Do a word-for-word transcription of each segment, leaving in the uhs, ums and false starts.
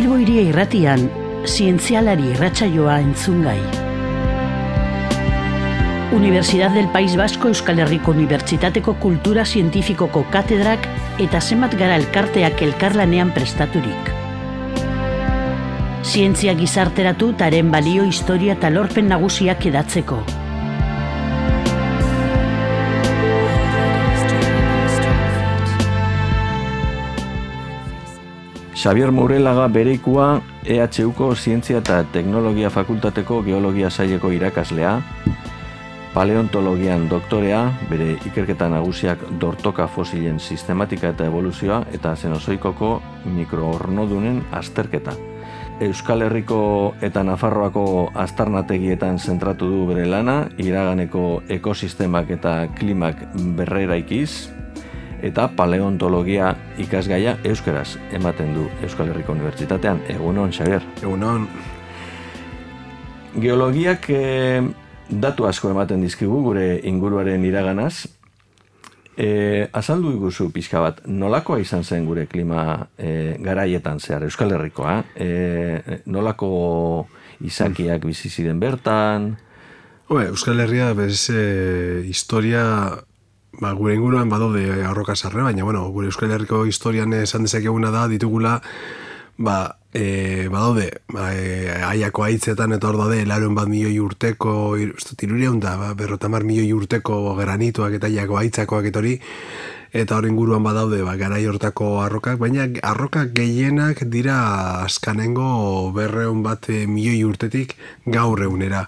Bilbo Hiria Irratian, zientzialari irratsaioa entzungai. Universidad del País Vasco Euskal Herriko Unibertsitateko Kultura Zientifikoko katedrak eta zenbat gara elkarteak elkarlanean prestaturik. Zientzia gizarteratu taren balio, historia eta lorpen nagusiak edatzeko. Xabier Mourelaga bereikua E H Uko Zientzia eta Teknologia Fakultateko Geologia saileko irakaslea, paleontologian doktorea, bere ikerketa nagusiak dortoka fosilen sistematika eta evoluzioa eta Zenozoikoko mikroornodunen azterketa. Euskal Herriko eta Nafarroako aztarnategietan zentratu du bere lana, iraganeko ekosistemak eta klimak berreraikiz, eta paleontologia ikasgaia euskaraz ematen du Euskal Herriko Unibertsitatean. Egunon, Xabier. Egunon. Geologiak eh, datu asko ematen dizkigu gure inguruaren iraganaz. Eh, azaldu iguzu pixka bat, nolakoa izan zen gure klima eh, garaietan zehar, Euskal Herrikoa? Eh, nolako izakiak bizi ziren bertan? Oe, Euskal Herria bez eh, historia... Ba, gure inguruan badaude arroka sarre, baina bueno, gure Euskal Herriko historian esan dezakeguna da, ditugula, ba, e, badaude, ba, e, aiako haitzetan eta hor daude, laron bat milioi urteko, tirureun da, ba, berrotamar milioi urteko granituak eta aiako haitzakoak eta hori, eta hor inguruan badaude, ba, garai hortako arrokak, baina arrokak gehienak dira azkanengo berreun bat e, milioi urtetik gaur egunera.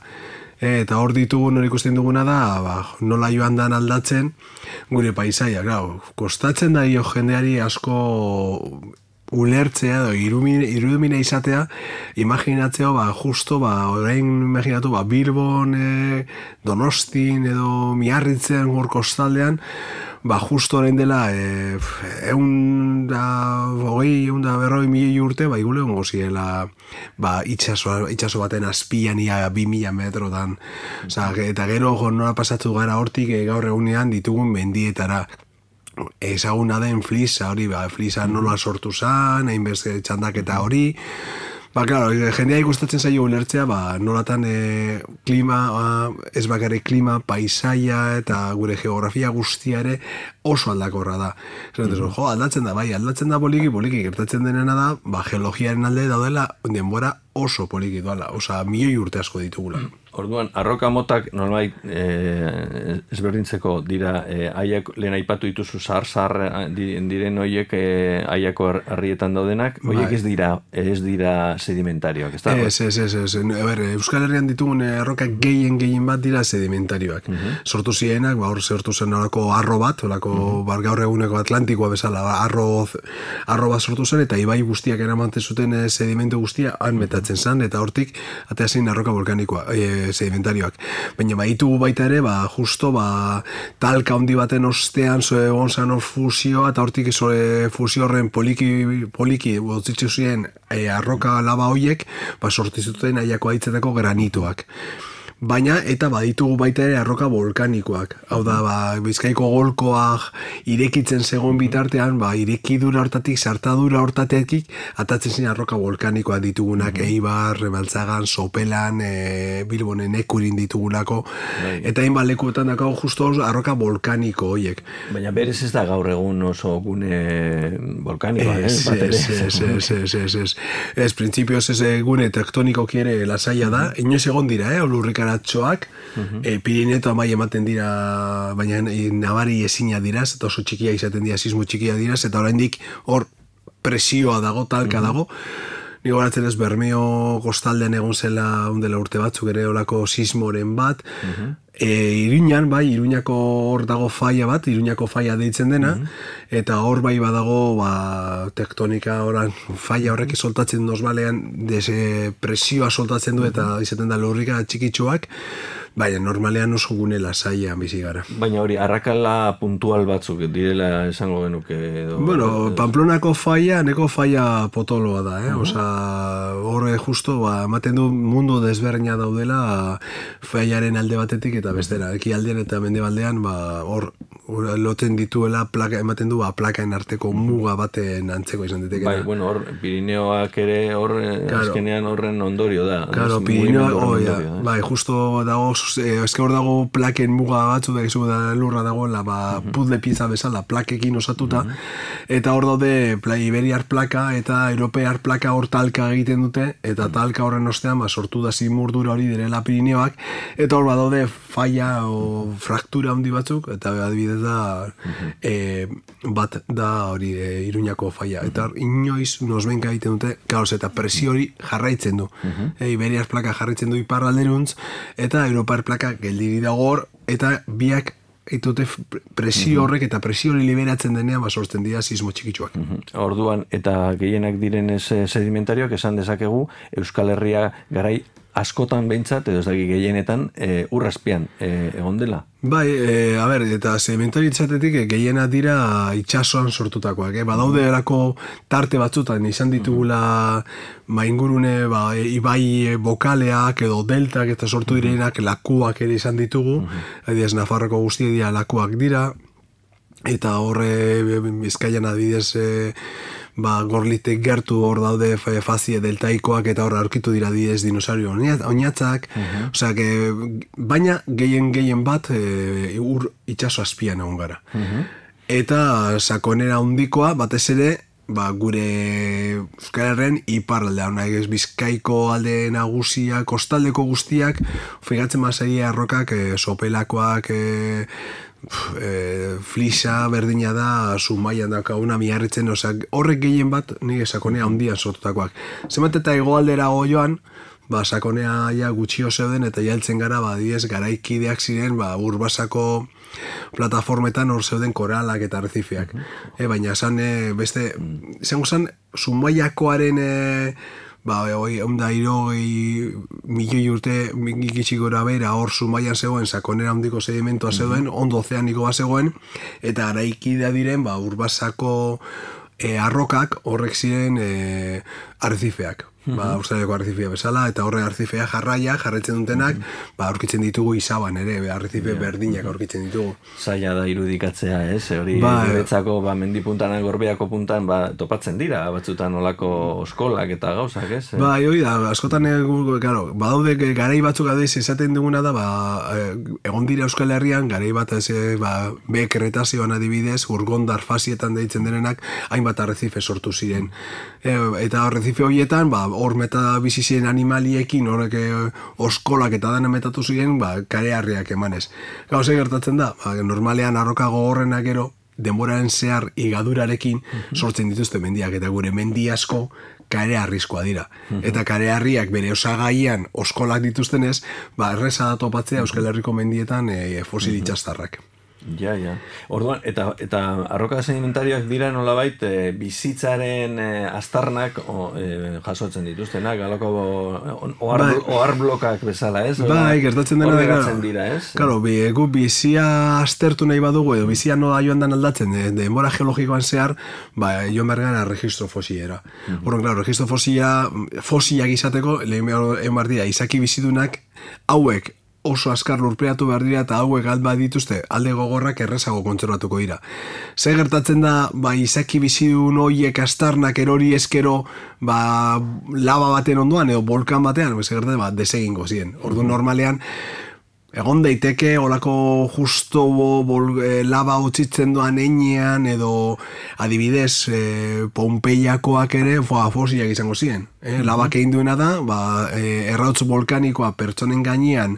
Eta hor ditugun hori ikusten duguna da, ba, nola joan dan aldatzen gure paisaia, grau. Kostatzen da jo jendeari asko ulertzea edo irudimina izatea, imaginatzeo, ba, justo, ba, orain imaginatu, ba, Bilbon, e, Donostin edo Miarritzen hor kostaldean, ba, justo orain dela, e, egun da, hogei, egun da berroi milioi urte, ba, igule ongo ziela, ba, itxaso, itxaso baten azpian ia bi mila metrotan. Osa, eta gero, jo, nola pasatu gara hortik, e, gaur egunean ditugun mendietara. Ezaguna den flisa hori, ba, flisa nola sortu zan, hainbeste txandaketa hori. Ba, claro, jendea ikustatzen zaio ulertzea, ba, nolatan e, klima, a, ez bakarrik klima, paisaia eta gure geografia guztia ere oso aldakorra da. Zaten, mm-hmm. Jo, aldatzen da, bai, aldatzen da poliki, poliki, gertatzen denena da, ba, geologiaren alde daudela denbora oso poliki doala, osa, milioi urte asko ditugula. Orduan, arroka motak nolbait e, ezberdintzeko dira, e, aiak, lehen aipatu dituzu zahar-zahar diren horiek e, aiako harrietan daudenak, horiek ez dira, ez dira sedimentarioak, ez da? Ez, ez, ez, ez. Ber, Euskal Herrian ditugun arroka gehien gehien bat dira sedimentarioak. Uh-huh. Sortu zienak, ba, hor sortu zen horako arro bat, horako uh-huh. bar gaur eguneko Atlantikoa bezala, ba, arro, arro bat sortu zen, eta ibai guztiak eramanten zuten sedimentu guztia han metatzen zen, eta hortik atea zein arroka volkanikoa, e, sedimentarioak. Baina baitugu baita ere, ba, justo, ba, talka handi baten ostean, zoe gonzan hor fusioa, eta hortik zoe fusio horren poliki, poliki, botzitzu ziren e, arroka laba hoiek, ba, sortizuten aiako haitzetako granitoak. Baina, eta baditugu baita ere arroka volkanikoak. Hau da, ba, Bizkaiko golkoak irekitzen zegoen bitartean, ba, irekidura hortatik, sartadura hortatetik, atatzen zen arroka volkanikoak ditugunak, mm-hmm. Eibar, Rebaltzagan, Sopelan, e, Bilbonen ekurin ditugulako, bai. Eta hainbat lekuetan dako justo arroka volkaniko horiek. Baina berez ez da gaur egun oso gune volkanikoa, ez? Ez, ez, ez, ez, ez, ez. Ez, printzipioz ez gune tektoniko kiere lasaia da, mm-hmm. Inoiz egon dira, eh, olurrik atxoak, uh-huh. e, Pirineto amai ematen dira, baina e, nabari ezina diraz, eta oso txikia izaten dira, sismo txikia diraz, eta oraindik hor presioa dago, talka uh-huh. dago. Ni goratzen ez Bermeo kostaldean egon zela undela urte batzuk ere olako sismoren bat, uh-huh. e, Iruñan, bai, Iruñako hor dago faia bat, Iruñako faia deitzen dena, uh-huh. eta hor bai badago ba, tektonika oran, faia horrek soltatzen dozbalean, dese presioa soltatzen du eta izaten da lurrika txikitsuak, baina normalean oso gune lasaian bizi gara. Baina hori, arrakala puntual batzuk direla esango genuke edo... Bueno, Pamplonako faia, neko faia potoloa da, eh? Uh-huh. Osa, horre justo, ba, ematen du mundu desberdina daudela faiaren alde batetik eta bestera. Ekialdean eta mendebaldean, ba, hor loten dituela plaka, ematen du, ba, plakaen arteko muga baten antzeko izan ditekena. Bai, bueno, hor, Pirineoak ere hor, claro, azkenean horren ondorio da. Claro, Pirineoak, oh, ja, bai, justo dago, eske hor dago plaken muga batzu, da gizu da lurra dagoela, ba, uh -huh. puzzle pieza bezala, plakekin osatuta, uh -huh. eta hor daude pla, Iberiar plaka eta Europear plaka hor talka egiten dute, eta talka horren ostean, ba, sortu da zimurdura hori direla Pirineoak, eta hor badaude falla o fraktura handi batzuk, eta adibidez da uh-huh. e, bat da hori e, Iruñako falla. Uh-huh. Eta inoiz nosbenka egiten dute, kaos, eta presio hori jarraitzen du. Uh-huh. E, Iberiar plaka jarraitzen du iparralderuntz, eta Europar plaka geldiri dago hor, eta biak eitute presio horrek eta presio hori liberatzen denean ba sortzen dira sismo txikitsuak. Uh-huh. Orduan, eta gehienak direnez sedimentarioak esan dezakegu Euskal Herria garai askotan behintzat, edo ez daki gehienetan, e, urrazpian e, egon dela? Bai, e, a ber, eta sedimentarietzatetik e, gehienak dira itsasoan sortutakoak. Eh? Badaude erako tarte batzutan izan ditugula maingurune, ba, ibai bokaleak edo deltak eta sortu direnak lakuak ere izan ditugu. Uh-huh. Adibidez, Nafarroko guztiak dira lakuak dira, eta horre Bizkaian adibidez e, ba, Gorlitek gertu hor daude fazie deltaikoak eta hor aurkitu dira diez dinosaurio oinatzak, uh-huh. Osea, que, baina gehien gehien bat e, ur itxaso azpian egon gara. Uh-huh. Eta sakonera handikoa batez ere, ba, gure Euskal Herren iparraldea, ez Bizkaiko alde nagusia, kostaldeko guztiak, figatzen mazaia arrokak, e, sopelakoak, e, E, flisa berdina da Zumaian daukaguna miarritzen, osea, horrek gehien bat nire sakonea handian sortutakoak. Zenbat eta hegoaldera joan, ba, sakonea ja gutxio zeuden eta jailtzen gara, ba, diez, garaikideak ziren, ba, Urbasako plataformetan hor zeuden koralak eta arrezifeak. Uh-huh. E, baina esan, e, beste, izango zen, Zumaiakoaren e, ba, hoi, onda irogei milioi urte gitxik gora bera hor Zumaian zegoen, sakonera handiko sedimentoa zegoen, mm-hmm. ondo ozeaniko bat zegoen, eta garaikidea diren, ba, Urbasako e, arrokak horrek ziren e, arrezifeak. Mm-hmm. Ba, Australiako arrezifea bezala, eta horre arrezifea jarraia, jarretzen dutenak, mm-hmm. ba, aurkitzen ditugu izaban ere, arrezife yeah. berdinak aurkitzen ditugu. Zaila da irudikatzea, ez? Hori ba, guretzako, ba, mendipuntan, gorbeako puntan, ba, topatzen dira, batzutan olako oskolak eta gauzak, ez? Ba, hori da, askotan, claro, badaude garai batzuk adeiz esaten duguna da, ba, egon dira Euskal Herrian, garai bat ez, ba, be kretazioan adibidez, urgondar fasietan deitzen denenak, hainbat arrezife sortu ziren. E, eta arrezife horietan, ba, hor meta bizi ziren animaliekin, horrek oskolak eta dana metatu ziren, ba, kareharriak emanez. Gauze gertatzen da, ba, normalean arroka gogorrenak gero, denboraren zehar igadurarekin sortzen dituzte mendiak, eta gure mendi asko kareharrizkoa dira. Eta kareharriak bere osagaian oskolak dituztenez, ba, erreza da topatzea Euskal Herriko mendietan e, fosil itxastarrak. Ja, ja. Orduan, eta, eta arroka sedimentarioak dira nolabait e, bizitzaren e, aztarnak o, e, jasotzen dituztenak, galoko ohar, bai. ohar blokak bezala, ez? Bai, gertatzen dena da, dira, ez? Claro, bi, gu bizia aztertu nahi badugu, edo bizia nola joan dan aldatzen, de, denbora geologikoan zehar, ba, joan bergana registro fosilera. Uh-huh. Horren, claro, registro fosila, fosilak izateko, lehen behar dira, izaki bizidunak, hauek, oso azkar lurpeatu behar dira eta hauek alba dituzte alde gogorrak errezago kontserbatuko dira. Ze gertatzen da, ba, izaki bizidun hoiek astarnak erori eskero ba, laba baten ondoan edo volkan batean, ze gertatzen, ba, desegingo ziren. Ordu normalean, egon daiteke, olako justo bol, e, laba utzitzen doan einean, edo adibidez, e, Pompeiakoak ere fosilak izango ziren. E, labak egin duena da, ba, e, errautz volkanikoa pertsonen gainean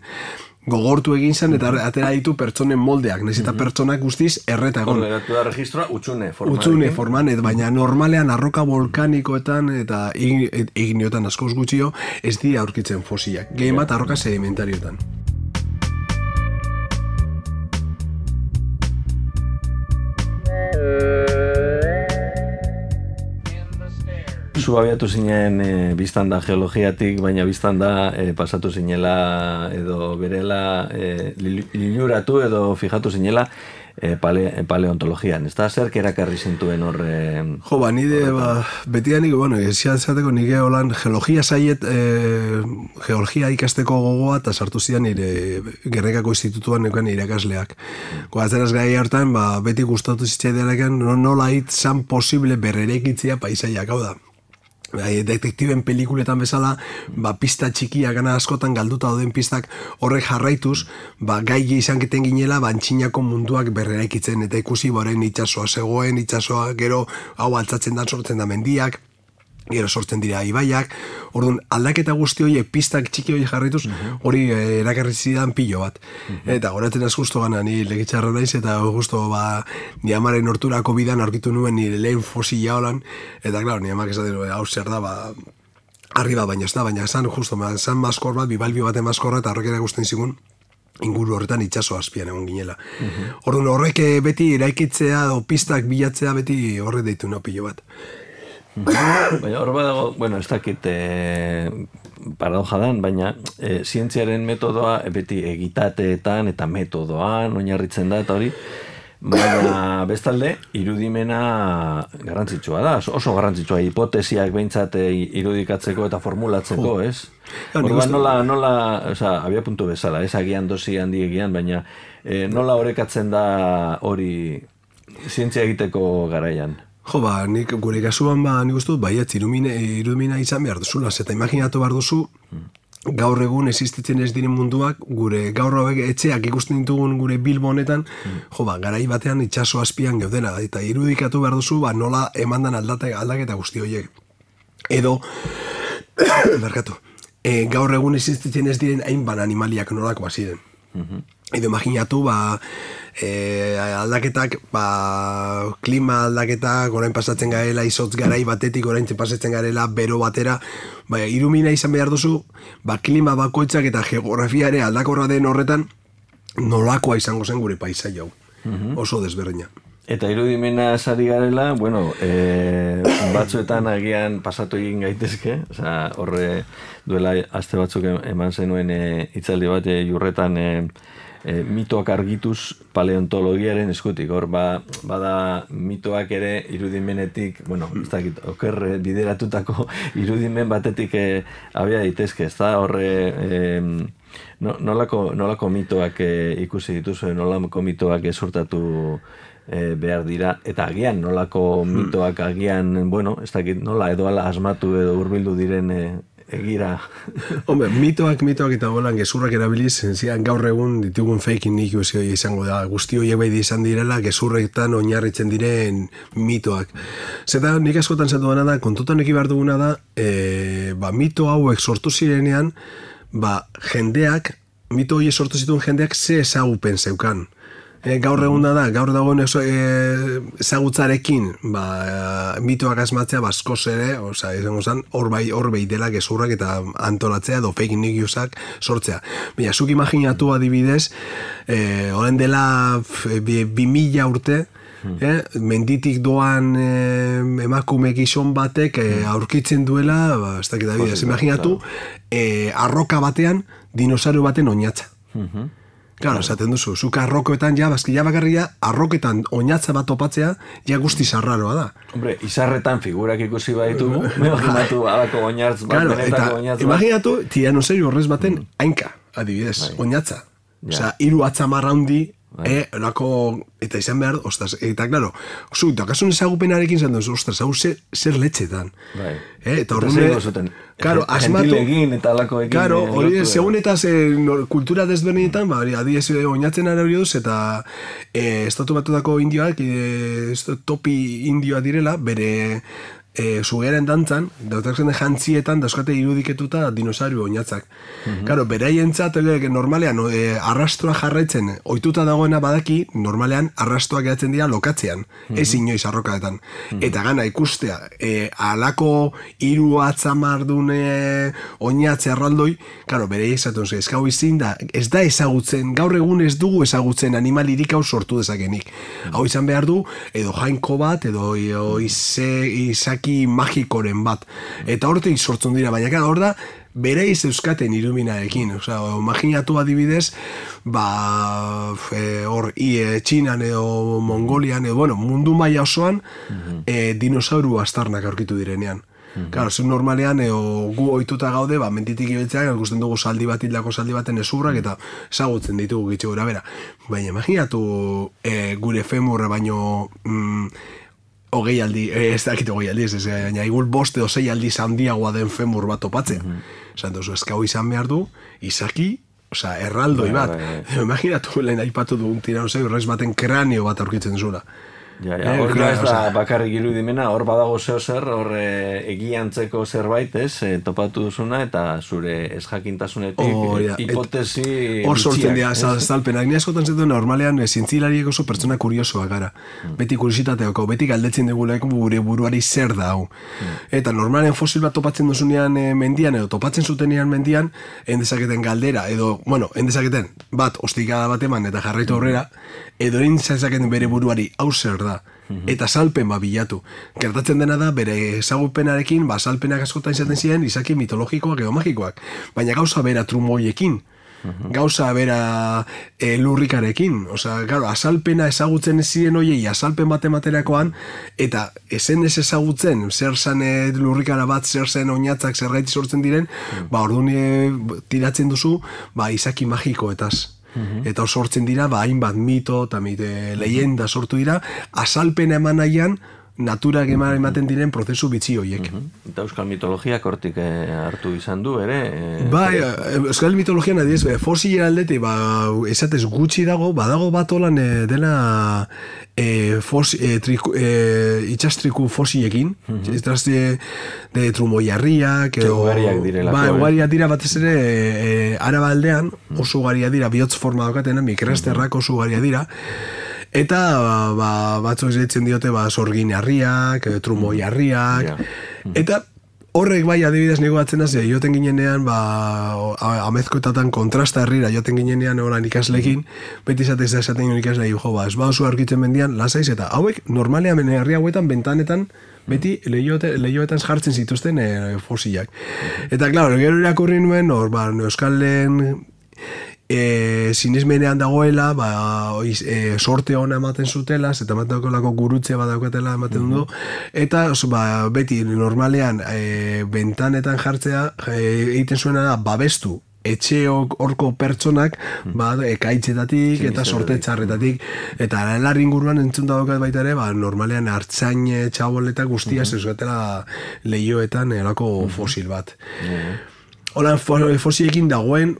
gogortu egin zen, eta atera ditu pertsonen moldeak, nahiz eta pertsonak guztiz erreta egon. Horregatu da registroa utxune forman. Utxune forman, et, baina normalean arroka volkanikoetan eta igniotan askoz gutxio ez dira aurkitzen fosilak. Gehien bat arroka sedimentariotan. Zu abiatu zinen e, biztan da geologiatik, baina biztan da e, pasatu zinela edo berela e, liluratu edo fijatu zinela e, pale, paleontologian, ez da? Zerk erakarri zintuen horre... Jo, ba, nire, ba, betianik, bueno, esian zateko nire holan geologia zaiet, e, geologia ikasteko gogoa, eta sartu zidan nire Gernikako institutuan neukan irakasleak. Goazeraz gai hartan, ba, beti gustatu zitzaidearekan, nola hit zan posible berrereikitzea paisaiak, hau da. Detektiben pelikuletan bezala, ba, pista txikiak gana askotan galduta dauden pistak horrek jarraituz, ba, gai izan keten ginela, ba, antxinako munduak berreraikitzen, eta ikusi boren itxasoa zegoen, itxasoa gero hau altzatzen da, sortzen da mendiak, gero sortzen dira ibaiak, orduan aldaketa guzti horiek pistak txiki horiek jarraituz, hori eh, erakarri zidan pilo bat. Eta goratzen az justo gana, ni legitxarra naiz, eta justo ba, ni amaren horturako bidan aurkitu nuen nire lehen fosila holan, eta klaro, ni amak esaten hau zer da, ba, arriba baina ez da, baina esan justo, esan maskor bat, bibalbio baten maskorra, eta horrek erakusten zigun, inguru horretan itxaso azpian egon ginela. Orduan horrek beti eraikitzea, o pistak bilatzea beti horrek deitu no pilo bat. Baina hor badago, bueno, ez dakit e, paradoja dan, baina e, zientziaren metodoa e, beti egitateetan eta metodoan oinarritzen da eta hori, baina bestalde irudimena garrantzitsua da, oso garrantzitsua, hipotesiak behintzat irudikatzeko eta formulatzeko, ez? Orduan nola, nola, oza, abia puntu bezala, ez agian dosi handi egian, baina e, nola horrekatzen da hori zientzia egiteko garaian? Jo, ba, nik gure kasuan, ba, nik uste dut, baietz, irudimena izan behar duzula, eta imaginatu behar duzu, gaur egun existitzen ez diren munduak, gure gaur hauek etxeak ikusten ditugun gure Bilbo honetan, jo, ba, garai batean itxaso azpian geudena, eta irudikatu behar duzu, ba, nola emandan aldate, aldaketa guzti horiek. Edo, berkatu, e, gaur egun existitzen ez diren hainban animaliak nolakoa ziren. Edo imaginatu, ba, e, aldaketak, ba, klima aldaketak, orain pasatzen garela, izotz garai batetik, orain pasatzen garela, bero batera, ba, irumina izan behar duzu, ba, klima bakoitzak eta geografia ere aldakorra den horretan, nolakoa izango zen gure paisaia hau. Oso desberdina. Eta irudimena esari garela, bueno, e, batzuetan agian pasatu egin gaitezke, oza, horre duela aste batzuk eman zenuen e, hitzaldi bat e, jurretan e, e, mitoak argituz paleontologiaren eskutik, hor ba, bada mitoak ere irudimenetik, bueno, ez dakit, oker bideratutako irudimen batetik e, abia daitezke, ez da, horre... E, no, nolako, nolako mitoak e, ikusi dituzu, nolako mitoak esurtatu e, behar dira, eta agian nolako mitoak agian, bueno, ez dakit nola edo ala asmatu edo hurbildu diren e, egira. Hombre, mitoak, mitoak eta golan gezurrak erabiliz, zian gaur egun ditugun fake news izango da, guzti horiek bai izan direla, gezurretan oinarritzen diren mitoak. Zeta nik askotan zatu dena da, kontutan eki behar duguna da, e, ba, mito hauek sortu zirenean, ba, jendeak, mito hori sortu zituen jendeak ze ezagupen zeukan. E, gaur egun da da, gaur dagoen e, ezagutzarekin, ba, mitoak asmatzea baskoz ere, oza, izango zen, hor bai, hor bai dela gezurrak eta antolatzea, do fake newsak sortzea. Baina, zuk imaginatu adibidez, e, horren dela bi, bi mila urte, Eh, menditik doan eh, emakume gizon batek eh, aurkitzen duela, ba, ez dakit adibidez, imaginatu, eh, arroka batean dinosario baten oinatza. Claro, esaten duzu, zuk arrokoetan ja, bazki ja bakarria, arroketan oinatza bat topatzea, ja guzti zarraroa da. Hombre, izarretan figurak ikusi baditugu, imaginatu alako oinartz bat, claro, benetako oinatz bat. Imaginatu, tiranosaurio horrez baten hainka, adibidez, oinatza. Osea, hiru atzamarra handi, E, lako, eta izan behar, ostras, eta klaro, zu, dakasun ezagupenarekin zan duzu, ostras, hau zer, zer letxetan. Bai. E, eta horren, karo, asmatu, eta alako egin, karo, hori, segun eta ze, no, kultura desberdinetan, ba, adiez, oinatzen arari duz, eta e, estatu batutako indioak, e, topi indioa direla, bere... E, zugeren dantzan, dautatzen jantzietan dauzkate irudiketuta dinosaurio oinatzak. Claro, mm-hmm. Beraientzat normalean e, arrastroa jarraitzen ohituta dagoena badaki, normalean arrastoak geratzen dira lokatzean, mm-hmm. ez inoiz arrokaetan. Mm-hmm. Eta gana ikustea, e, alako hiru atzamardun e, oinatze arraldoi, claro, berai esaten zu, ez gau izin da, ez da ezagutzen, gaur egun ez dugu ezagutzen animalirik hau sortu dezakenik. Mm-hmm. Hau izan behar du, edo jainko bat, edo, edo ize, izaki izaki magikoren bat. Eta hortik sortzen dira, baina gara hor da, bereiz euskaten iluminarekin. Osea, imaginatu adibidez, ba, hor, e, Txinan edo Mongolian, edo, bueno, mundu maila osoan, mm-hmm. e, dinosauru astarnak aurkitu direnean. Mm-hmm. Claro, zu normalean, eo, gu ohituta gaude, ba, mentitik ibiltzeak, ikusten dugu saldi bat, hildako saldi baten ezurrak, eta ezagutzen ditugu gitxe gura bera. Baina, imaginatu e, gure femurra baino... Mm, hogei aldi, eh, ez dakit hogei aldi, ez, ez, baina igual boste o sei aldiz handiagoa den femur bat topatzea. Mm-hmm. Esan duzu, eskau izan behar du, izaki, oza, erraldoi bat. Imaginatu lehen aipatu dugun tiranosaurio rex baten kranio bat aurkitzen zula. Ja, ja, hor eh, ez da bakarrik irudimena, hor badago zeo zer, hor e, egiantzeko zerbait, ez, e, topatu duzuna, eta zure ezjakintasunetik oh, ja. hipotesi hor sortzen dira, zalpenak. Ni askotan zetu normalean zintzilariek oso pertsona kuriosoa gara. Mm. Beti kuriositateako, beti galdetzen dugulek gure buruari zer da hau. Mm. Eta normalean fosil bat topatzen duzunean e, mendian, edo topatzen zutenean mendian, endezaketen galdera, edo, bueno, endezaketen bat, ostikada bat eman eta jarraitu aurrera, edo endezaketen bere buruari hau zer da. Eta salpen ba bilatu. Gertatzen dena da, bere ezagupenarekin, ba, salpenak askotan izaten ziren izaki mitologikoak edo magikoak. Baina gauza bera trumoiekin, gauza bera e, lurrikarekin. Osea, claro, azalpena ezagutzen ez ziren hoiei, azalpen bat ematerakoan, eta ezen ez ezagutzen, zer zen lurrikara bat, zer zen oinatzak, zer gaiti sortzen diren, ba, orduan tiratzen duzu, ba, izaki magikoetaz. Eta hor sortzen dira, ba, hainbat mito eta mite, leyenda sortu dira, azalpena eman nahian, naturak ematen diren prozesu bitxi horiek. Uh-huh. Eta euskal mitologiak hortik eh, hartu izan du, ere? Eh, ba, eh, euskal mitologian adiez, eh, fosilera aldete, ba, esatez gutxi dago, badago bat olan eh, dena eh, fos, eh, triku, eh, itxastriku fosilekin, uh-huh. itxastriku de trumoiarriak, edo... Ugariak direlako. Ba, ugariak dira batez ere, eh, araba aldean, oso ugariak dira, bihotz forma daukatena, mikresterrak oso ugariak dira, eta ba, batzuk zeitzen diote ba, sorginarriak, trumoiarriak, yeah. Eta horrek bai adibidez nego batzen hasi, joten ginenean, ba, amezkoetatan kontrasta herrira joten ginenean horan ikaslekin, beti izatez esaten ginen ikasle, jo, ba, ez bauzu aurkitzen mendian, lasaiz, eta hauek normalean herri hauetan, bentanetan, beti lehioetan jartzen zituzten e, fosilak. Eta, klaro, gero irakurri nuen, hor, ba, euskalen... E, sinismenean dagoela, ba, oiz, e, sorte ona ematen zutela, eta ematen dagoelako gurutze bat daukatela ematen du, eta ba, beti normalean e, bentanetan jartzea e, egiten zuena da babestu etxeok horko pertsonak ba, ekaitzetatik eta sorte txarretatik, eta lan inguruan entzun daukat baita ere, ba, normalean hartzain txaboleta guztia zezgatela lehioetan erako fosil bat. Holan fosiliekin dagoen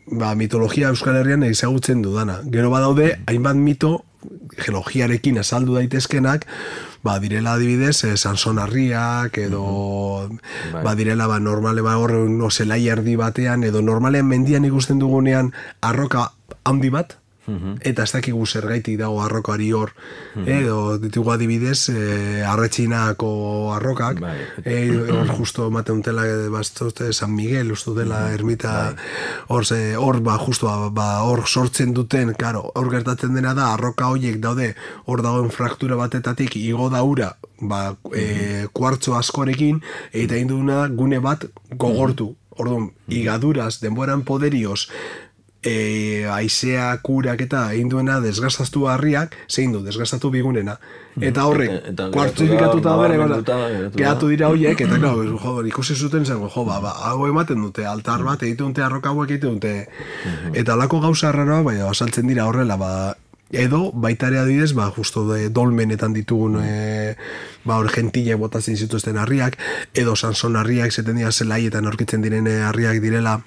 ba, mitologia Euskal Herrian ezagutzen dudana. Gero badaude, hainbat mito geologiarekin azaldu daitezkenak, ba, direla adibidez, eh, Sansonarriak, edo mm-hmm. ba, direla ba, normale ba, hor, no, zelai erdi batean, edo normalean mendian ikusten dugunean arroka handi bat, mm-hmm. eta ez dakigu zergaitik dago arrokari hor, mm-hmm. edo ditugu adibidez, eh, arretxinako arrokak, bai. eh, hor justo ematen dutela, baztote, San Miguel, ustu dela mm-hmm. ermita, hor, bai. hor, ba, justo, ba, hor sortzen duten, karo, hor gertatzen dena da, arroka horiek daude, hor dagoen fraktura batetatik, igo da ura, ba, mm-hmm. eh, kuartzo askorekin, eta induna gune bat gogortu, mm-hmm. orduan, igaduraz, denboran poderioz, E, aizea kurak eta egin duena desgastaztu harriak, zein du, desgastatu bigunena. Eta horrek, kuartzifikatuta bere, geratu dira horiek, eta klar, jo, ikusi zuten zen, jo, ba, ba, hau ematen dute, altar bat, egiten dute, arroka hauek egiten dute. Eta alako gauza arraroa, bai, asaltzen dira horrela, ba, edo, baita ere adidez, ba, justo de dolmenetan ditugun, e, ba, hor gentile botatzen zituzten harriak, edo Sanson harriak, zeten dira zelaietan aurkitzen diren harriak direla,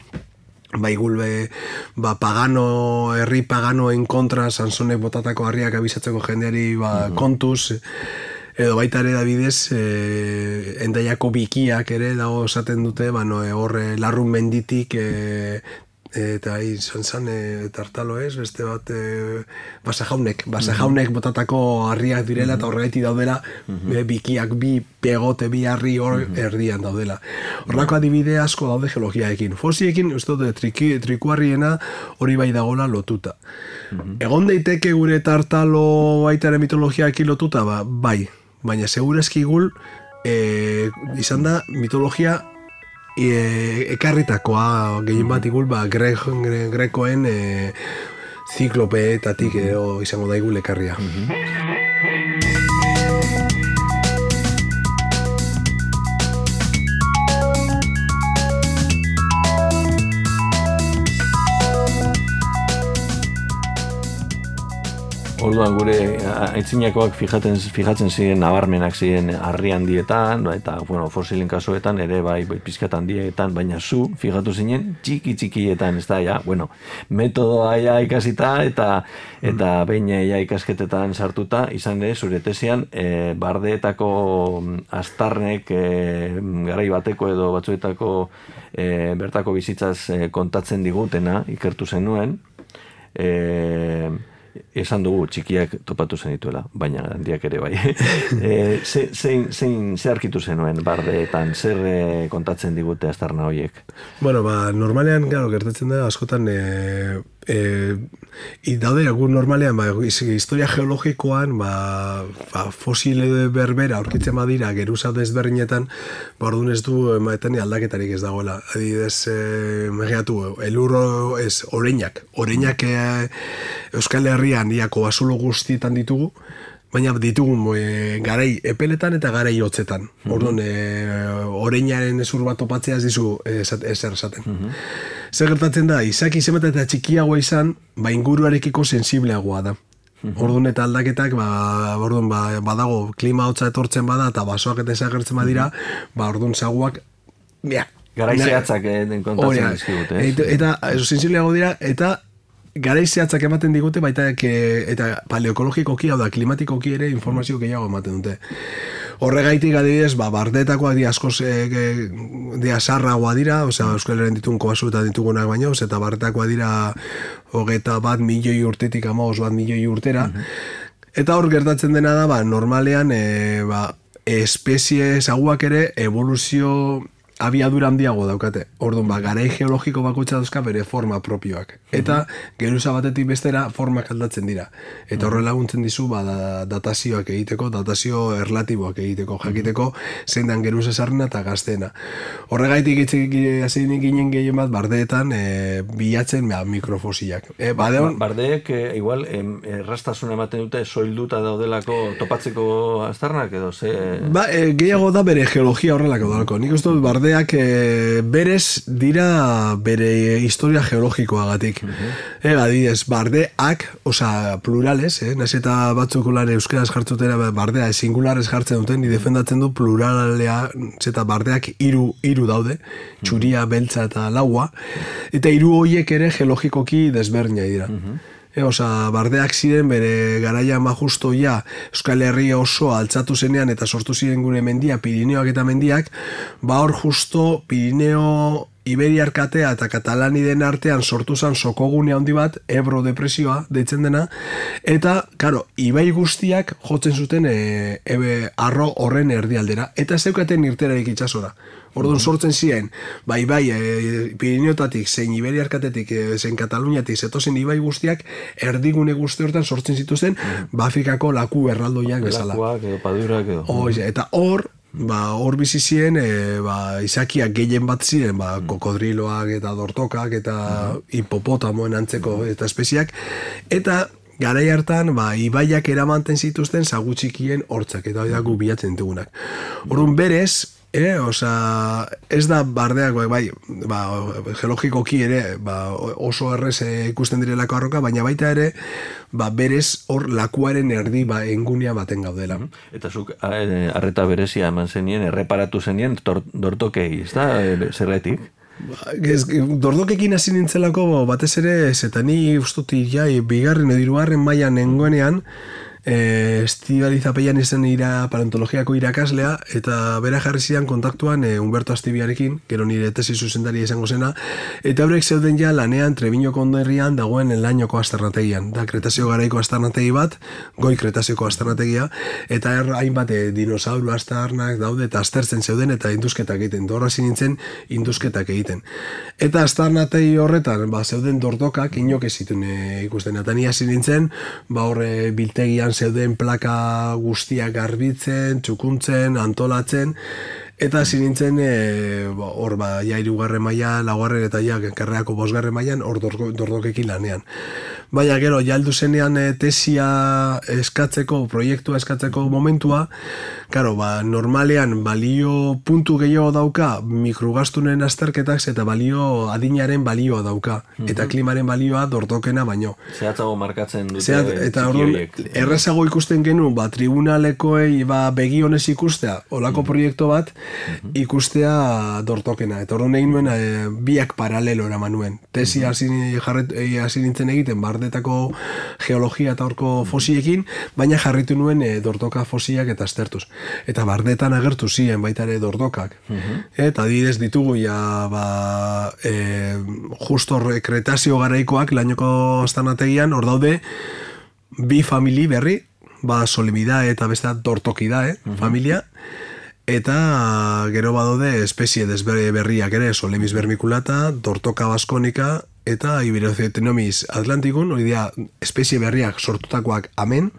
ba, igulbe, ba, pagano, herri paganoen kontra, Sansonek botatako harriak abisatzeko jendeari, ba, uh-huh. kontuz, edo baita ere Davidez, e, endaiako bikiak ere, dago esaten dute, ba, no, horre larrun menditik, e, eta izan zan e, tartalo ez, beste bat e, basajaunek, basajaunek botatako harriak direla, eta horregaiti daudela e, bikiak bi pegote, bi harri hor erdian daudela. Horrako adibide asko daude geologiekin. Fosiekin, ez dut, triki, trikuarriena hori bai dagoela lotuta. Egon daiteke gure tartalo baitaren mitologiaekin lotuta, ba, bai, baina segurazki gul e, izan da mitologia e, ekarritakoa gehien bat igul ba, gre, gre, grekoen e, ziklopeetatik edo izango da igul ekarria. Orduan gure aintzinakoak fijatzen, fijatzen ziren nabarmenak ziren harri handietan, eta bueno, fosilen kasuetan ere bai pizkat handietan, baina zu fijatu zinen txiki txikietan, ez da, ja, bueno, metodoa ja ikasita eta eta behin ja ikasketetan sartuta, izan ere zure tesian e, bardeetako astarnek e, garai bateko edo batzuetako e, bertako bizitzaz e, kontatzen digutena ikertu zenuen, e, esan dugu txikiak topatu zenituela, baina handiak ere bai. e, zein, zein, zein, zer arkitu zenuen bardeetan, zer e, kontatzen digute astarna horiek? Bueno, ba, normalean, claro, gertatzen da, askotan, e, e, daude, egun normalean, ba, historia geologikoan, ba, ba, fosile berbera aurkitzen badira, geruza desberdinetan, ba, orduan ez du, emaetan aldaketarik ez dagoela. Adibidez, e, imaginatu, elurro, ez, oreinak, oreinak e, Euskal Herrian iako basulo guztietan ditugu, baina ditugu e, garai epeletan eta garai hotzetan. Mm-hmm. Orduan, e, oreinaren ezur bat topatzea ez dizu ezer esaten. Mm-hmm. Zer gertatzen da, izaki zenbat eta txikiagoa izan, ba inguruarekiko sensibleagoa da. Mm-hmm. Orduan eta aldaketak, ba, orduan, ba, badago klima hotza etortzen bada eta basoak eta ezagertzen badira, mm-hmm. ba orduan zaguak, ja, garai zehatzak den kontatzen dizkigute. Eta, eta sensibleago dira, eta garai zehatzak ematen digute, baita eta paleoekologikoki, hau da, klimatikoki ere informazio gehiago ematen dute. Horregaitik adibidez, ba, bardeetakoak di askoz e, e, dia sarragoa dira, osea, Euskal Herrian ditun kobasu eta ditugunak baino, eta bardeetakoak dira hogeita bat milioi urtetik amagoz bat milioi urtera. Mm-hmm. Eta hor gertatzen dena da, ba, normalean, e, ba, espezie zaguak ere evoluzio abiadura handiago daukate. Orduan, ba, garai geologiko bakoitza dauzka bere forma propioak. Eta geruza batetik bestera formak aldatzen dira. Eta horre laguntzen dizu ba, da, datazioak egiteko, datazio erlatiboak egiteko, jakiteko zein dan geruza sarrena eta gaztena. Horregaitik hasi ginen gehien bat bardeetan e, bilatzen ba, mikrofosilak. E, badeon, Bardeek e, igual errastasuna ematen dute soilduta daudelako topatzeko aztarnak edo ze... Ba, e, gehiago da bere geologia horrelako dalako. Nik uste dut barde E, berez dira bere historia geologikoagatik. Uh-huh. E, adibidez, bardeak, osa plurales, eh? Naiz eta batzuk lan euskeraz jartzutera bardea singulares jartzen duten, ni defendatzen du pluralea, eta bardeak hiru hiru daude, txuria, beltza eta laua, eta hiru horiek ere geologikoki desberdina dira. Uh-huh. E, osa, bardeak ziren bere garaia majusto ja Euskal Herria oso altzatu zenean eta sortu ziren gure mendia, Pirineoak eta mendiak, ba hor justo Pirineo Iberiar katea eta Katalaniden artean sortu zen sokogune handi bat, Ebro depresioa deitzen dena, eta, karo, ibai guztiak jotzen zuten e, ebe, arro horren erdialdera, eta zeukaten irterarik itsasora. Orduan sortzen ziren, bai, bai, e, Pirineotatik, zein Iberiar katetik, e, zein Kataluniatik, zetozen ibai guztiak, erdigune guzti hortan sortzen zituzten, mm. Bafikako laku erraldoiak bezala. Lakuak edo padurak edo. O, eta hor, ba, hor bizi ziren, e, ba, izakiak gehien bat ziren, ba, kokodriloak eta dortokak eta uh-huh. hipopotamoen antzeko eta espeziak, eta garai hartan, ba, ibaiak eramanten zituzten zagu txikien hortzak, eta hori da gu bilatzen ditugunak. Orduan berez, E, osa, ez da bardeak, bai, ba, geologikoki ere ba, oso errez ikusten direlako arroka, baina baita ere, ba, berez hor lakuaren erdi ba, engunea baten gaudela. Eta zuk arreta berezia eman zenien, erreparatu zenien dortokei, ez da, zerretik? Ba, dortokekin hasi nintzelako batez ere, eta ni ustuti ja, bigarren edo hirugarren mailan nengoenean, E, Estibaliz Apeian izan ira paleontologiako irakaslea, eta bera jarri zidan kontaktuan e, Humberto Astibiarekin, gero nire tesi zuzendari izango zena, eta horrek zeuden ja lanean Trebiño konderrian dagoen Lainoko aztarnategian. Da, Kretazio garaiko aztarnategi bat, goi Kretazioko aztarnategia, eta er, hainbat e, dinosauru aztarnak daude, eta aztertzen zeuden, eta induzketak egiten. Dorra nintzen induzketak egiten. Eta aztarnategi horretan, ba, zeuden dortokak inok ez zituen e, ikusten. Eta ni hasi nintzen, ba, horre biltegian zeuden plaka guztiak garbitzen, txukuntzen, antolatzen, eta hasi nintzen hor ba, ja hirugarren mailan, laugarren eta ja karrerako bosgarren mailan hor dordokekin lanean. Baina gero, ja heldu zenean tesia eskatzeko, proiektua eskatzeko momentua, karo, ba, normalean balio puntu gehiago dauka mikrogastunen azterketak eta balio adinaren balioa dauka, mm-hmm. eta klimaren balioa dordokena baino. Zehatzago markatzen dute Zehat, eta orduan, errazago ikusten genuen, ba, tribunalekoei ba, begi honez ikustea, olako mm-hmm. proiektu bat, mm-hmm. ikustea dortokena. Eta orduan egin nuen, e, biak paralelo eraman nuen. Tesi hasi mm-hmm. nintzen egiten, bardetako geologia eta horko fosiekin, baina jarritu nuen e, dortoka fosiak eta aztertuz. Eta bardetan agertu ziren baita ere dordokak. Mm-hmm. Eta adibidez ditugu ja, ba, e, justo kretazio garaikoak, lainoko astanategian, hor daude, bi famili berri, ba, Solemida eta beste Dortokida, eh, mm-hmm. familia, eta gero badaude espezie desberriak ere, Solemis vermiculata, Dortoka baskonika, eta Iberocetinomis atlanticum, hori dira espezie berriak sortutakoak amen,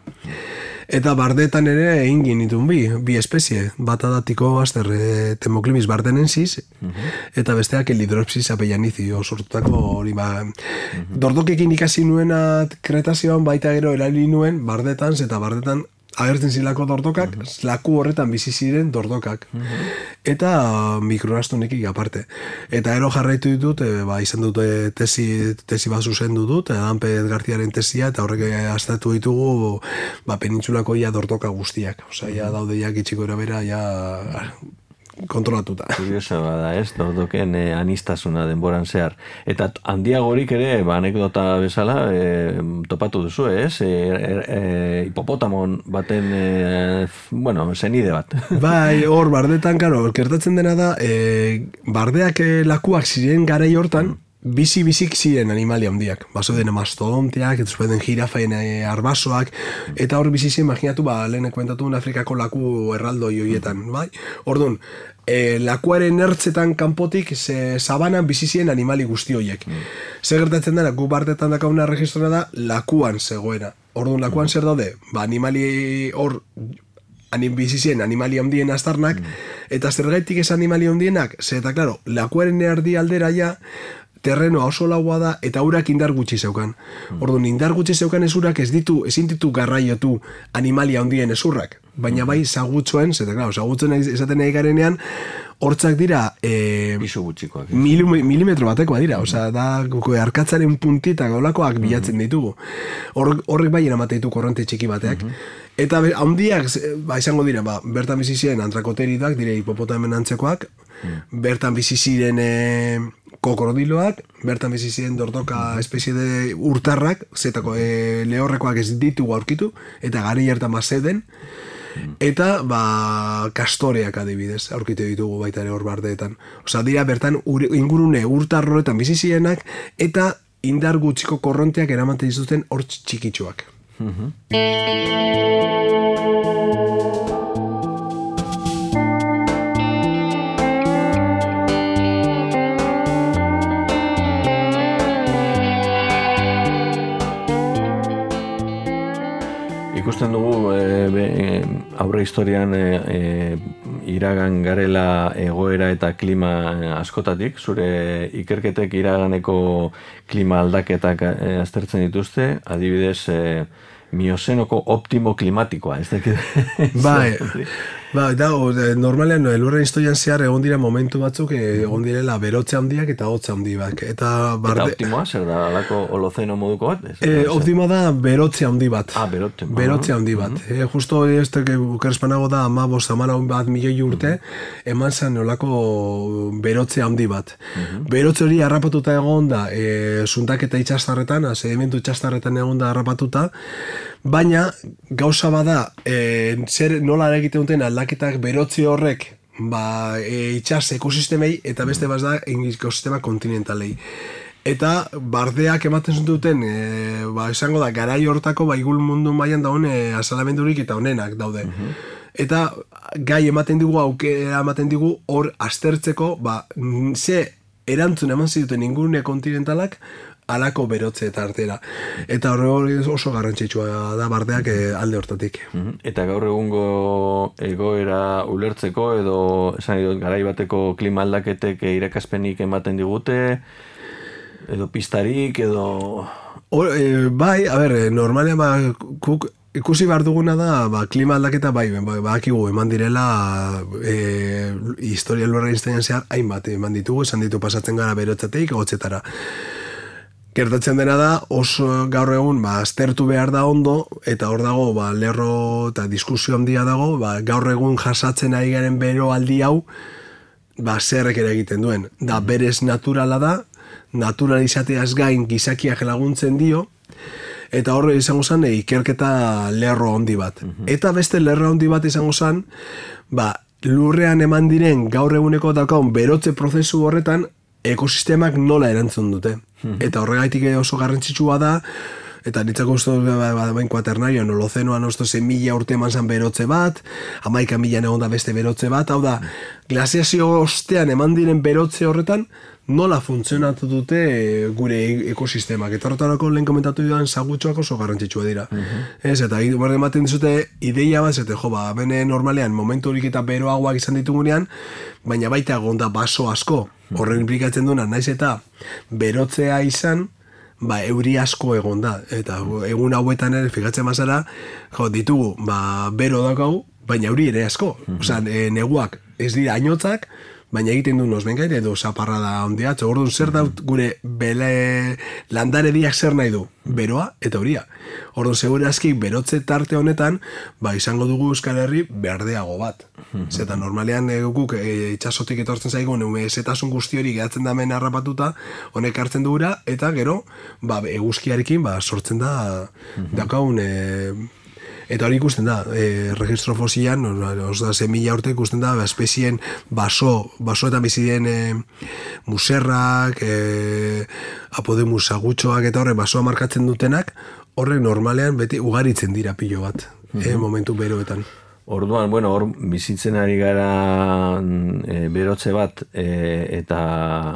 eta bardetan ere egin genitun bi, bi espezie, bata da Tikobazter Temoclimis bardenensis, uh-huh. eta besteak Elidropsis apeianizi, sortutako hori ba. Uh-huh. Dordokekin ikasi nuena kretazioan baita gero erabili nuen bardetan, eta bardetan agertzen zilako dordokak, uh-huh. laku horretan bizi ziren dordokak. Uh-huh. Eta mikroastunekik aparte. Eta ero jarraitu ditut, e, ba, izan dute tesi, tesi bat zuzendu dut, Danpez Garziaren tesia, eta horrek aztertu ditugu ba, penintsulako ia dordoka guztiak. Osa, ja daude ja gitxiko erabera, ja kontrolatuta. Kurioso bada, ez? Dordoken eh, anistasuna denboran zehar. Eta handiagorik ere, ba, anekdota bezala, eh, topatu duzu, ez? E, e, e, hipopotamon baten, e, bueno, zenide bat. Bai, hor, bardetan, karo, kertatzen dena da, e, bardeak e, lakuak ziren garai hortan, bizi-bizik ziren animalia handiak. Baso den mastodonteak, eta zuen jirafaen e, arbasoak, eta hor bizi ziren, imaginatu, ba, lehen komentatu Afrikako laku erraldoi horietan, bai? Orduan, e, lakuaren ertzetan kanpotik ze sabanan bizi ziren animali guzti horiek. Mm. Zer gertatzen dena, gu bardetan dakauna registrona da, lakuan zegoena. Orduan, lakuan mm. zer daude? Ba, animali hor, anim bizi ziren animali handien aztarnak, mm. eta zergaitik ez animali handienak, ze eta, klaro, lakuaren erdi aldera ja, terrenoa oso laua da, eta urak indar gutxi zeukan. Orduan, indar gutxi zeukan ezurak ez ditu, ezin ditu garraiotu animalia handien ezurrak. Baina bai, zagutzuen, zeta, klaro, zagutzen esaten nahi garenean, hortzak dira e, pisu gutxikoak. Mil, milimetro batekoa dira, osea, da arkatzaren puntita gaulakoak bilatzen ditugu. Hor, horrek bai eramate ditu korronte txiki bateak. Eta handiak, ba, izango dira, ba, bertan bizi ziren antrakoteridak, dire hipopotamen antzekoak, bertan bizi ziren e, kokrodiloak, bertan bizi ziren dordoka espezie de urtarrak, zetako e, lehorrekoak ez ditugu aurkitu, eta gari hartan bazeden, eta ba, kastoreak adibidez, aurkitu ditugu baita ere hor bardeetan. Osa, dira bertan ur, ingurune urtarroetan bizi zirenak, eta indar gutxiko korronteak eramaten dituzten hor txikitsuak. Uh-huh. Ikusten dugu e, be, e, aurre historian e, e, iragan garela egoera eta klima askotatik, zure ikerketek iraganeko klima aldaketak e, aztertzen dituzte, adibidez e, miozenoko optimo klimatikoa, ez dakit? Bai, bai, da, normalean elurren historian zehar egon dira momentu batzuk egon direla berotze handiak eta hotza handi bat. Eta, barde... eta optimoa, zer da, alako holozeno moduko bat? E, optimoa da berotze handi bat. Ah, berotze. Berotze handi bat. Uh-huh. E, justo este que ukerspanago da ama bost amara bat milioi urte, uh-huh. eman zen olako berotze handi bat. Uh-huh. Berotze hori harrapatuta egon da, e, zuntaketa itxastarretan, sedimentu itxastarretan egon da harrapatuta, baina gauza bada e, zer nola egiten duten aldaketak berotze horrek ba, e, itxas ekosistemei eta beste baz da ekosistema kontinentalei. Eta bardeak ematen duten e, ba, esango da garai hortako ba, igul mundu mailan daun e, azalamendurik eta honenak daude. Uh-huh. Eta gai ematen digu aukera ematen digu hor aztertzeko ba, ze erantzun eman zituten ingurune kontinentalak alako berotze tartera. Eta hori oso garrantzitsua da bardeak alde hortatik. Eta gaur egungo egoera ulertzeko edo esan dut garai bateko klima aldaketek irakaspenik ematen digute edo pistarik edo... O, e, bai, a ber, normalean ba, kuk, ikusi behar duguna da, ba, klima aldaketa bai, ba, bakigu eman direla e, historia lurra iztean zehar, hainbat eman ditugu, esan ditu pasatzen gara berotzateik, gotzetara. Gertatzen dena da, oso gaur egun ba, aztertu behar da ondo, eta hor dago, ba, lerro eta diskusio handia dago, ba, gaur egun jasatzen ari garen bero aldi hau, ba, zerrek ere egiten duen. Da, berez naturala da, naturalizateaz gain gizakiak laguntzen dio, eta horre izango zen e, ikerketa lerro handi bat. Eta beste lerro handi bat izango zen, ba, lurrean eman diren gaur eguneko daukaun berotze prozesu horretan ekosistemak nola erantzun dute. Eta horregaitik oso garrantzitsua da, eta nitzako uste bain kuaternario, nolozenoan osto ze mila urte eman zan berotze bat, amaika milan egon da beste berotze bat, hau da, glaziazio ostean eman diren berotze horretan, nola funtzionatu dute gure ekosistemak. Eta horretarako lehen komentatu dudan zagutxoak oso garrantzitsua dira. Ez, eta berde ematen dizute ideia bat, zete, jo, ba, bene normalean momentu horik eta beroagoak izan ditugunean, baina baita gonda baso asko, horren implikatzen duena, naiz eta berotzea izan, ba, euri asko egon da. Eta egun hauetan ere, fijatzen mazara, jo, ditugu, ba, bero daukagu, baina euri ere asko. Osa, e, neguak ez dira ainotzak, baina egiten du nozbengaire edo zaparra da ondia. Orduan zer daut gure bele landarediak zer nahi du? Beroa eta euria. Orduan segurazki berotze tarte honetan, ba, izango dugu Euskal Herri berdeago bat. Zeta normalean e, guk e, itxasotik etortzen zaigun zetasun guzti hori gehatzen da hemen harrapatuta, honek hartzen dugura, eta gero ba, eguzkiarekin ba, sortzen da daukagun e, eta hori ikusten da, e, registro fosilan, oso da, zemila urte ikusten da, espezien baso, basoetan biziren e, muserrak, e, apodemus agutxoak eta horre basoa markatzen dutenak, horrek normalean beti ugaritzen dira pilo bat, e, momentu beroetan. Orduan, bueno, hor bizitzen ari gara e, berotze bat e, eta,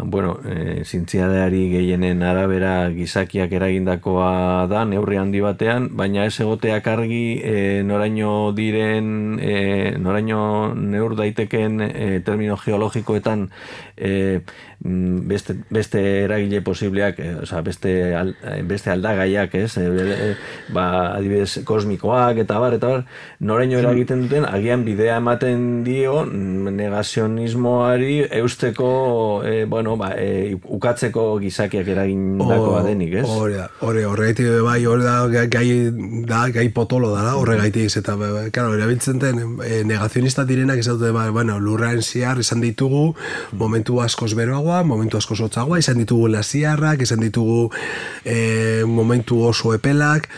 bueno, e, zientzialari gehienen arabera gizakiak eragindakoa da, neurri handi batean, baina ez egoteak argi e, noraino diren, e, noraino neur daiteken e, termino geologikoetan e, beste, beste eragile posibleak, e, oza, beste, al, beste aldagaiak, ez? E, e, ba, adibidez, kosmikoak eta bar, eta bar, noraino eragiten duten, agian bidea ematen dio negazionismoari eusteko, e, bueno, ba, e, ukatzeko gizakiak eragindakoa denik, ez? Hore da, hore, horregaitik bai, hore da, gai, da, gai potolo da, horregaitik, eta, claro, erabiltzen den, e, negazionista direnak izan dute, ba, bueno, lurraen ziar izan ditugu, momentu askoz beroagoa, momentu askoz hotzagoa, izan ditugu laziarrak, izan ditugu e, momentu oso epelak,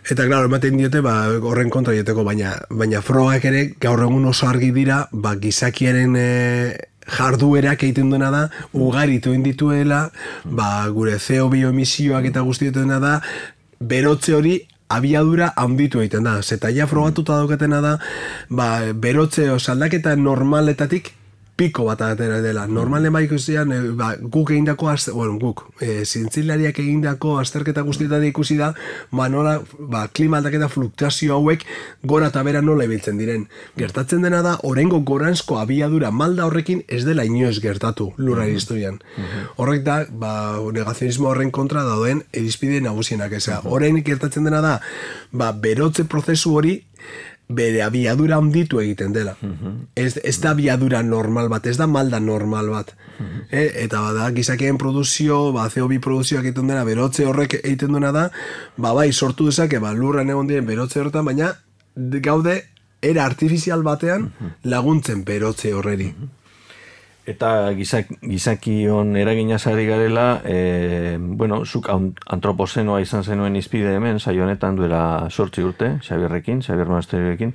eta, claro, ematen diote, ba, horren kontra dioteko, baina, baina frogak ere gaur egun oso argi dira, ba, gizakiaren e, jarduerak egiten duena da, ugaritu indituela, ba, gure C O bioemisioak eta guzti duena da, berotze hori abiadura handitu egiten da. Zeta ja frogatuta daukatena da, ba, berotze osaldaketa normaletatik piko bat atera dela. Normalen bai ikusian, e, ba, guk egindako, bueno, guk, e, zintzilariak egindako azterketa guztietan ikusi da, ba, nola, ba, klima aldaketa fluktuazio hauek gora eta bera nola ibiltzen diren. Gertatzen dena da, oraingo goranzko abiadura malda horrekin ez dela inoiz gertatu lurraren historian. Horrek da, ba, negazionismo horren kontra dauden irizpide nagusienak eza. Orain gertatzen dena da, ba, berotze prozesu hori bere abiadura handitu egiten dela. Ez, ez da abiadura normal bat, ez da malda normal bat. E, eta bada, gizakien produzio, ba, C O bi produzioak egiten dena, berotze horrek egiten duena da, ba, bai, sortu dezake, ba, lurran egon diren berotze horretan, baina gaude, era artifizial batean laguntzen berotze horreri. Eta gizak, gizakion eraginaz ari garela, e, bueno, zuk antropozenoa izan zenuen izpide hemen, saio honetan duela sortzi urte, Xabierrekin, Xabier Monasteriorekin,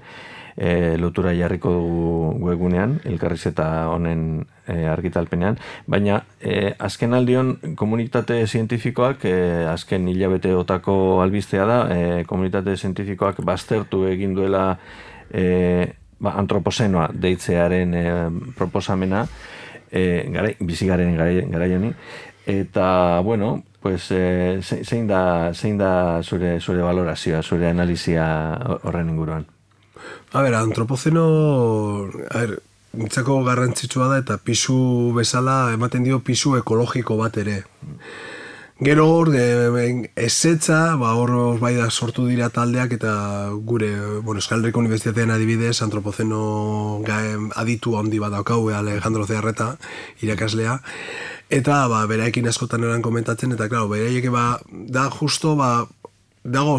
e, lotura jarriko dugu webgunean, elkarrizketa honen e, argitalpenean, baina e, azken aldion komunitate zientifikoak, e, azken hilabeteotako albistea da, e, komunitate zientifikoak baztertu egin duela e, ba, antropozenoa deitzearen e, proposamena, e, garai, bizigaren garai, garai honi, eta, bueno, Pues eh, zein da, zein da zure, zure valorazioa, zure analizia horren inguruan? A ber, antropozeno, a ber, nintzako garrantzitsua da eta pisu bezala ematen dio pisu ekologiko bat ere. Gero hor, ezetza, ba, hor bai da sortu dira taldeak eta gure, bueno, Euskal Herriko Unibertsitatean adibidez, antropozeno aditu handi bat daukau, Alejandro Zearreta, irakaslea, eta ba, beraekin askotan eran komentatzen, eta klaro, beraiek ba, da justo, ba, dago,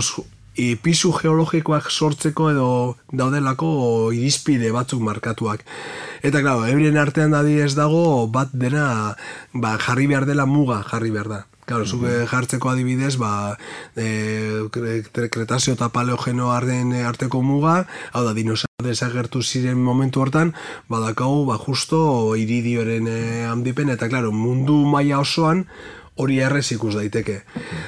I pisu geologikoak sortzeko edo daudelako irizpide batzuk markatuak. Eta, klaro, euren artean dadi ez dago bat dena ba, jarri behar dela muga jarri behar da. Claro, zuk jartzeko adibidez, ba, e, Kretazeo eta Paleogeno arteko muga, hau da, dinosaur desagertu ziren momentu hortan, badakau, ba, justo iridioren e, handipen, eta, claro, mundu maila osoan, hori errez ikus daiteke.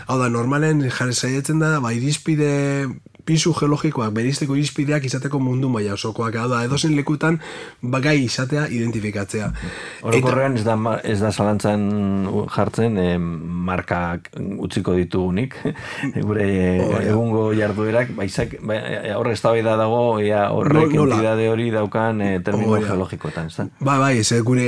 Hau da, normalen jarri saietzen da, ba, irizpide pisu geologikoak, berizteko irizpideak izateko mundu maila osokoak. Hau da, edozen lekutan, bagai izatea identifikatzea. Orokorrean ez da, ez da zalantzan jartzen, eh, markak utziko ditugunik, gure eh, egungo jarduerak, baizak, ba, horre ez da dago, ea horrek no, entidade hori daukan eh, termino oh, geologikoetan, ez da? Ba, bai, ez, gure,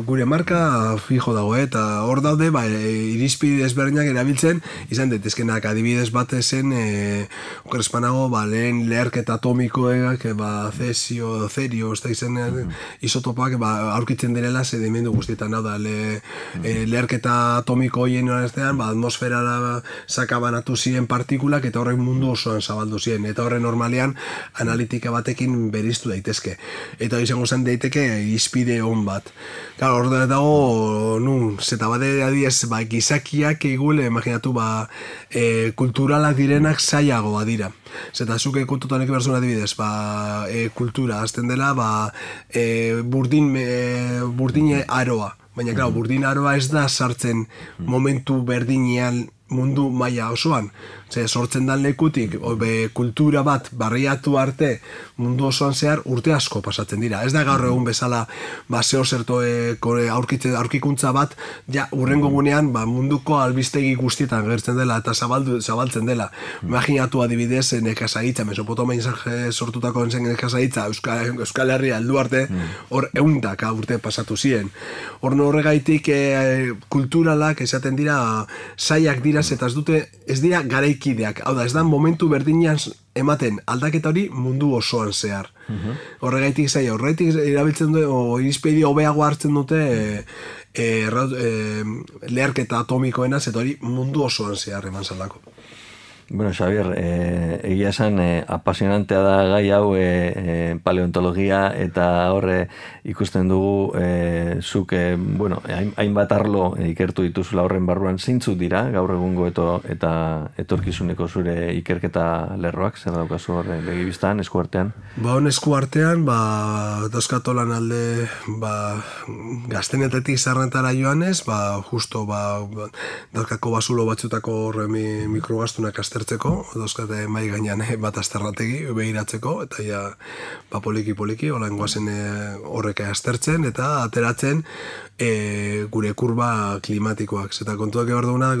gure marka fijo dago, eta hor daude, ba, irizpide ezberdinak erabiltzen, izan daitezkenak adibidez bat zen, eh, okerespanago, ba, lehen leherketa atomikoak, ba, cesio, cerio, ez da izan, mm-hmm. isotopak, ba, aurkitzen direla sedimentu guztietan, hau da, le, mm-hmm. eh, leherketa atomiko hoien horaztean, ba, atmosferara sakabanatu ziren partikulak, eta horrek mundu osoan zabaldu ziren, eta horren normalean analitika batekin beriztu daitezke. Eta izango zen daiteke izpide hon bat. Claro, hor da dago, nu, zeta bade adiez, ba, gizakiak egule, imaginatu, ba, e, kulturalak direnak zailagoa dira. Zeta zuke kontutan eki berzuna adibidez, ba, e, kultura, azten dela, ba, e, burdin, e, burdine aroa. Baina, klar, burdin aroa ez da sartzen momentu berdinean mundu maila osoan. Ze, sortzen dan lekutik, obe, kultura bat barriatu arte mundu osoan zehar urte asko pasatzen dira. Ez da gaur egun bezala ba, zeo zerto e, aurkikuntza bat, ja, urrengo gunean ba, munduko albistegi guztietan gertzen dela eta zabaldu, zabaltzen dela. Imaginatu adibidez nekazaritza, Mesopotamia sortutako zen nekazaritza, Euskal, Euskal Herria heldu arte, hor eundaka urte pasatu ziren. Hor horregaitik e, kulturalak esaten dira zaiak dira, eta ez dute, ez dira garaikideak, hau da, ez da momentu berdinean ematen aldaketa hori mundu osoan zehar. Uh-huh. Horregaitik zaila, horregaitik erabiltzen dute, o irizpide hobeago hartzen dute e, e, e, leherketa atomikoena, eta hori mundu osoan zehar eman zalako. Bueno, Xavier, eh, egia esan eh, apasionantea da gai hau eh, eh, paleontologia eta horre ikusten dugu eh, zuk, eh, bueno, hainbat arlo eh, ikertu dituzula horren barruan zeintzuk dira gaur egungo eto, eta etorkizuneko zure ikerketa lerroak, zer daukazu horre begibiztan, eskuartean? Ba, hon eskuartean, ba, dauzkatolan alde, ba, gaztenetetik zarrentara joanez, ba, justo, ba, dauzkako basulo batzutako horre mi, mikrogastunak aztertzeko, dauzkate mai gainean bat azterrategi behiratzeko, eta ja, ba, poliki-poliki, hola engoazen horrek aztertzen, eta ateratzen e, gure kurba klimatikoak. Zeta kontuak ebar duguna,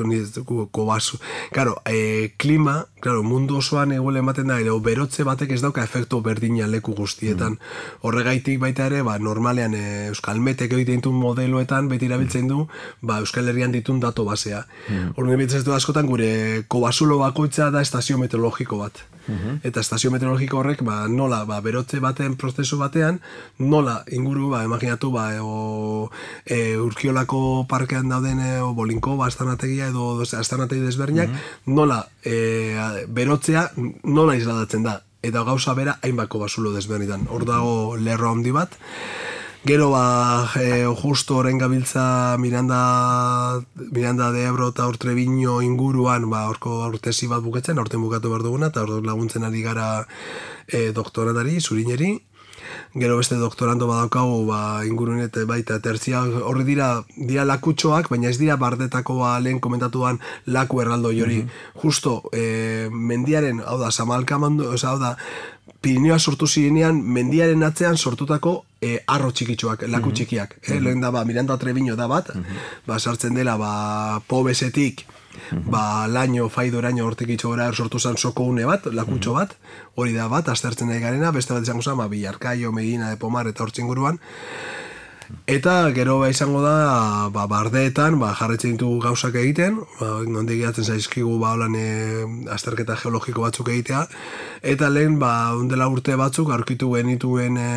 kobazu. Claro, e, klima, claro, mundu osoan eguele ematen da, edo berotze batek ez dauka efektu berdina leku guztietan. Mm. Horregaitik baita ere, ba, normalean e, Euskal Metek egiten ditun modeloetan beti erabiltzen du, ba, Euskal Herrian ditun dato basea. Mm. Horren ebitzen du askotan gure kobazulo bakoitza da estazio meteorologiko bat. Uh-huh. Eta estazio meteorologiko horrek ba, nola ba, berotze baten prozesu batean, nola inguru, ba, imaginatu, ba, o, e, Urkiolako parkean dauden e, o, Bolinko, ba, astanategia edo astanategi desberdinak, uh-huh. nola e, berotzea nola isladatzen da. Eta gauza bera hainbako basulo desberditan. Hor dago lerro handi bat. Gero, ba, e, justo horren gabiltza Miranda, Miranda de Ebro eta hor Treviño inguruan, ba, horko urtesi bat buketzen, horten bukatu behar duguna, eta hor laguntzen ari gara e, doktoratari, zurineri. Gero beste doktorando badaukagu, ba, ingurun eta baita tertzia, horri dira, dira lakutxoak, baina ez dira bardetako ba, lehen komentatuan laku erraldo jori. Mm-hmm. Justo, e, mendiaren, hau da, Samalka mandu, oza, hau da, Pirineoa sortu zirenean, mendiaren atzean sortutako e, arro txikitxoak, laku txikiak. Mm-hmm. eh? Lehen da, ba, Miranda Treviño da bat, mm-hmm. ba, sartzen dela, ba, Pobesetik, ba, laino, faido eraino hortik itxogora sortu zen soko une bat, lakutxo bat, hori da bat, aztertzen nahi garena, beste bat izango zen, ba, Bilarkaio, Medina de Pomar eta hortzik inguruan. Eta gero ba izango da, ba, bardeetan, ba, jarretzen ditugu gauzak egiten, ba, nondik gehatzen zaizkigu ba, holan, e, azterketa geologiko batzuk egitea, eta lehen, ba, ondela urte batzuk, aurkitu genituen e,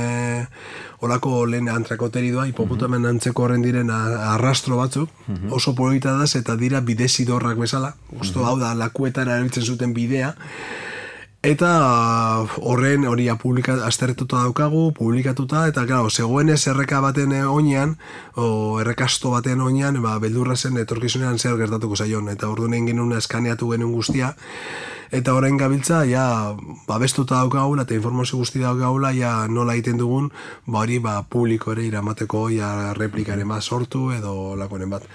olako lehen antrakoteridoa, hipoputamen antzeko horren diren arrastro batzuk, oso polita da, eta dira bidezidorrak bezala, usto hau da, lakuetara erabiltzen zuten bidea, eta horren hori publika, aztertuta daukagu, publikatuta, eta claro, zegoenez erreka baten oinean, o errekasto baten oinean, ba, beldurra zen etorkizunean zer gertatuko zaion, eta orduan egin genuen eskaneatu genuen guztia, eta orain gabiltza, ja, babestuta daukagula, eta informazio guzti daukagula, ja, nola egiten dugun, ba, hori, ba, publiko ere iramateko, ja, replikaren bat sortu, edo lakoren bat.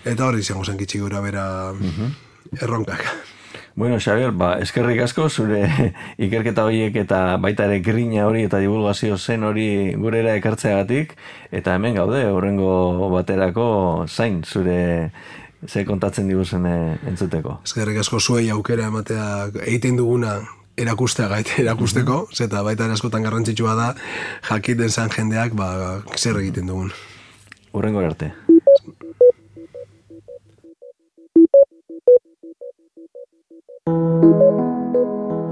Eta hori izango zen kitxik gura bera erronkak. Bueno, Xabier, ba, eskerrik asko, zure ikerketa horiek eta baita ere grina hori eta divulgazio zen hori gurera ekartzeagatik, eta hemen gaude, horrengo baterako zain, zure ze kontatzen diguzen entzuteko. Eskerrik asko zuei aukera ematea egiten duguna erakustea gaite erakusteko, uh-huh. Zeta baita ere askotan garrantzitsua da jakiten zan jendeak ba, zer egiten dugun. Horrengo arte.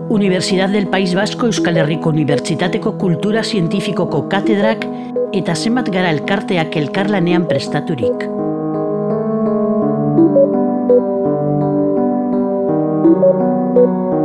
Universidad del País Vasco Euskal Herriko Unibertsitateko Kultura Zientifikoko katedrak eta zenbat gara elkarteak elkarlanean prestaturik. Thank you.